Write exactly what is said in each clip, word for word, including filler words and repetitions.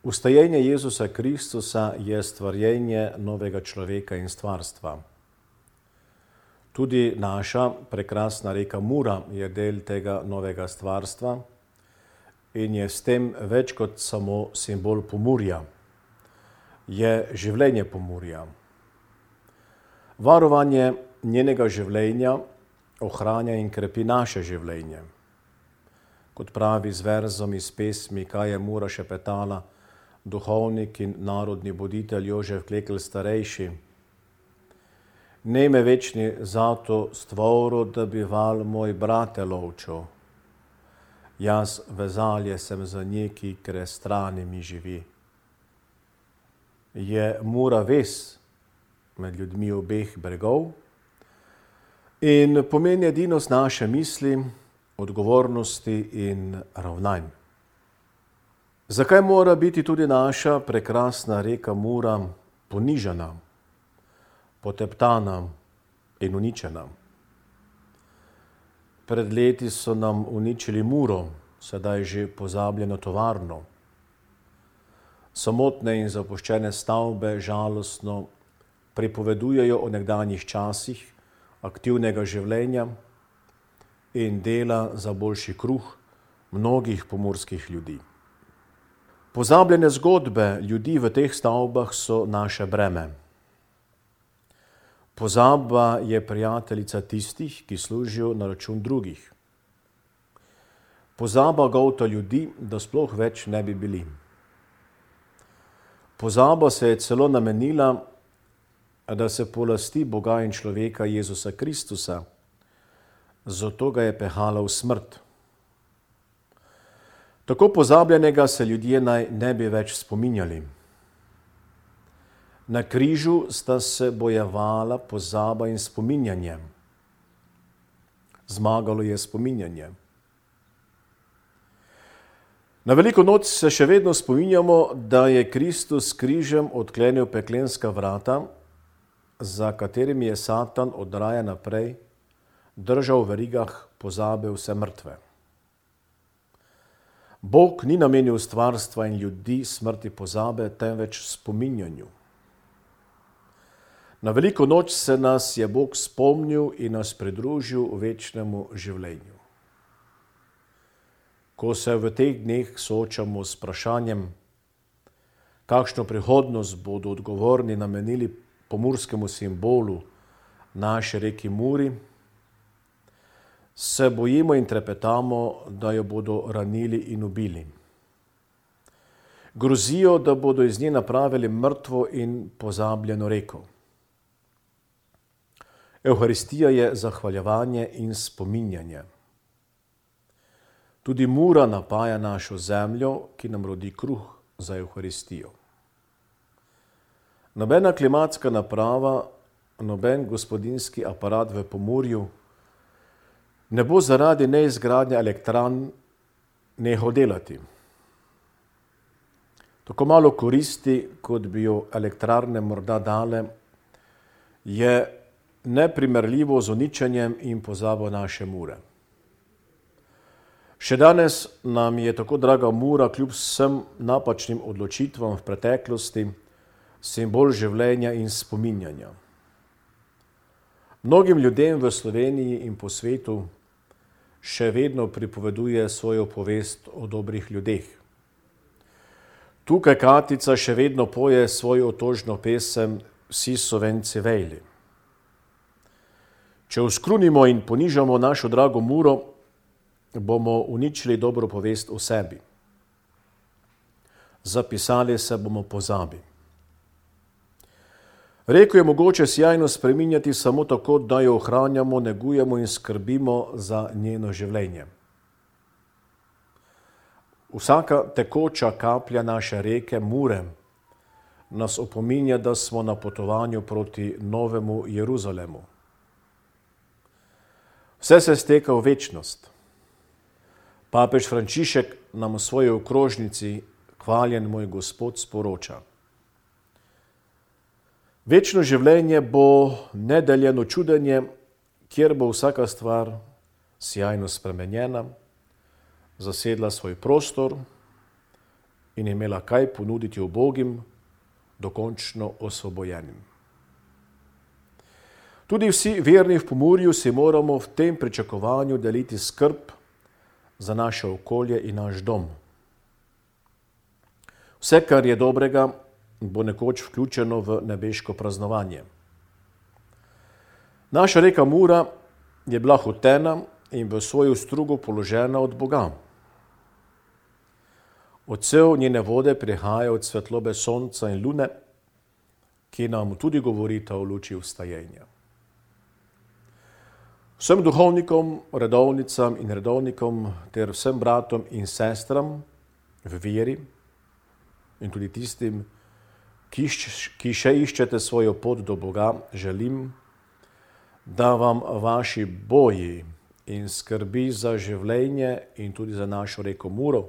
Ustajenje Jezusa Kristusa je stvarjenje novega človeka in stvarstva. Tudi naša prekrasna reka Mura je del tega novega stvarstva in je s tem več kot samo simbol Pomurja. Je življenje Pomurja. Varovanje njenega življenja ohranja in krepi naše življenje. Kot pravi z verzom iz pesmi Kaj je Mura šepetala, duhovnik in narodni voditelj Jožef Klekl starejši. Ne me večni zato stvoro, da bi val moj brate lovčo. Jaz vezalje sem za neki, kre strani mi živi. Je Mura ves med ljudmi obeh bregov in pomeni edinost naše misli, odgovornosti in ravnanj. Zakaj mora biti tudi naša prekrasna reka Mura ponižana, poteptana in uničena? Pred leti so nam uničili Muro, sedaj že pozabljeno tovarno. Samotne in zapuščene stavbe žalostno pripovedujejo o nekdanjih časih aktivnega življenja in dela za boljši kruh mnogih pomurskih ljudi. Pozabljene zgodbe ljudi v teh stavbah so naše breme. Pozaba je prijateljica tistih, ki služijo na račun drugih. Pozaba golta ljudi, da sploh več ne bi bili. Pozaba se je celo namenila, da se polasti Boga in človeka Jezusa Kristusa, zato ga je pehala v smrt. Tako pozabljenega se ljudje naj ne bi več spominjali. Na križu sta se bojevala pozaba in spominjanje. Zmagalo je spominjanje. Na veliko noč se še vedno spominjamo, da je Kristus s križem odklenil peklenska vrata, za katerimi je Satan od raja naprej držal v verigah pozabe vse mrtve. Bog ni namenil stvarstva in ljudi smrti pozabe, temveč spominjanju. Na veliko noč se nas je Bog spomnil in nas pridružil večnemu življenju. Ko se v teh dneh soočamo s vprašanjem, kakšno prihodnost bodo odgovorni namenili pomurskemu simbolu naše reki Muri, se bojimo in trepetamo, da jo bodo ranili in ubili. Grozijo, da bodo iz nje napravili mrtvo in pozabljeno reko. Evharistija je zahvaljevanje in spominjanje. Tudi Mura napaja našo zemljo, ki nam rodi kruh za Evharistijo. Nobena klimatska naprava, noben gospodinjski aparat v Pomurju ne bo zaradi neizgradnje elektran nehal delati. Tako malo koristi, kot bi jo elektrarne morda dale, je neprimerljivo z uničenjem in pozabo naše Mure. Še danes nam je tako draga Mura kljub vsem napačnim odločitvam v preteklosti simbol življenja in spominjanja. Mnogim ljudem v Sloveniji in po svetu še vedno pripoveduje svojo povest o dobrih ljudeh. Tukaj Katica še vedno poje svojo otožno pesem Vsi Slovenci vejli. Če uskrunimo in ponižamo našo drago Muro, bomo uničili dobro povest o sebi. Zapisali se bomo pozabi. Reko je mogoče sjajno spreminjati samo tako, da jo ohranjamo, negujemo in skrbimo za njeno življenje. Vsaka tekoča kaplja naše reke Mure nas opominja, da smo na potovanju proti novemu Jeruzalemu. Vse se steka v večnost. Papež Frančišek nam v svoji okrožnici Hvaljen moj Gospod sporoča. Večno življenje bo nedeljeno čudenje, kjer bo vsaka stvar sjajno spremenjena, zasedla svoj prostor in imela kaj ponuditi ubogim, dokončno osvobojenim. Tudi vsi verni v Pomurju si moramo v tem pričakovanju deliti skrb za naše okolje in naš dom. Vse, kar je dobrega, bo nekoč vključeno v nebeško praznovanje. Naša reka Mura je bila hotena in v svojo strugo položena od Boga. Odsev njene vode prihaja od svetlobe sonca in lune, ki nam tudi govorita o luči vstajenja. Vsem duhovnikom, redovnicam in redovnikom ter vsem bratom in sestram v veri in tudi tistim, ki, ki še iščete svojo pot do Boga, želim, da vam vaši boji in skrbi za življenje in tudi za našo reko Muro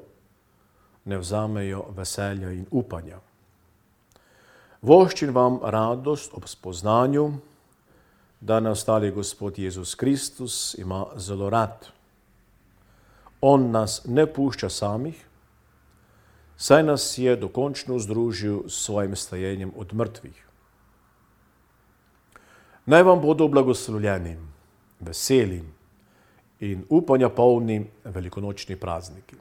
ne vzamejo veselja in upanja. Voščim vam radost ob spoznanju, da nas ostali Gospod Jezus Kristus ima zelo rad. On nas ne pušča samih, saj nas je dokončno združil s svojim stajenjem od mrtvih. Naj vam bodo blagoslovljeni, veseli in upanja polni velikonočni prazniki.